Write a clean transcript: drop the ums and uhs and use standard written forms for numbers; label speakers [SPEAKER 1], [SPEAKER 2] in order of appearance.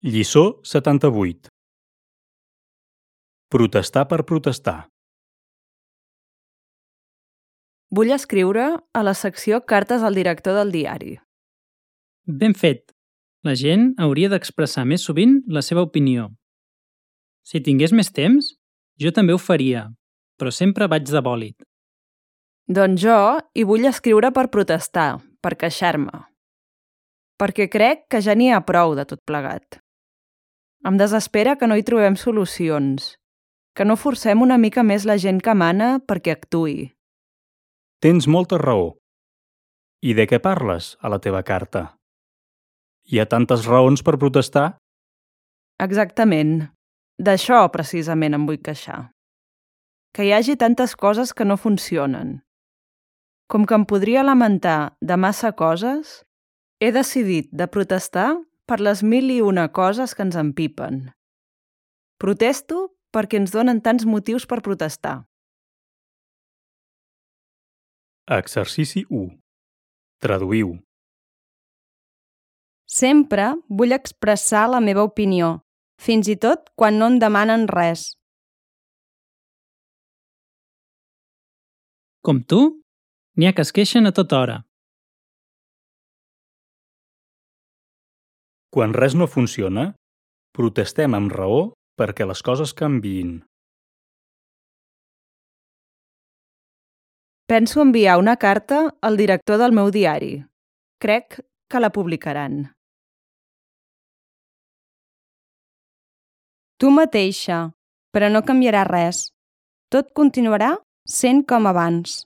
[SPEAKER 1] Lliçó 78. Protestar per protestar.
[SPEAKER 2] Vull escriure a la secció Cartes al director del diari.
[SPEAKER 3] Ben fet. La gent hauria d'expressar més sovint la seva opinió. Si tingués més temps, jo també ho faria, però sempre vaig de bòlit.
[SPEAKER 2] Doncs jo hi vull escriure per protestar, per queixar-me. Perquè crec que ja n'hi ha prou de tot plegat. Em desespera que no hi trobem solucions, que no forcem una mica més la gent que mana perquè actuï.
[SPEAKER 1] Tens molta raó. I de què parles a la teva carta? Hi ha tantes raons per protestar?
[SPEAKER 2] Exactament. D'això precisament em vull queixar. Que hi hagi tantes coses que no funcionen. Com que em podria lamentar de massa coses, he decidit de protestar per les 1001 coses que ens empipen. Protesto perquè ens donen tants motius per protestar.
[SPEAKER 1] Exercici 1. Traduïu.
[SPEAKER 4] Sempre vull expressar la meva opinió, fins i tot quan no em demanen res.
[SPEAKER 3] Com tu, n'hi ha que es queixen a tota hora.
[SPEAKER 1] Quan res no funciona, protestem amb raó perquè les coses canviïn.
[SPEAKER 2] Penso enviar una carta al director del meu diari. Crec que la publicaran.
[SPEAKER 4] Tu mateixa, però no canviarà res. Tot continuarà sent com abans.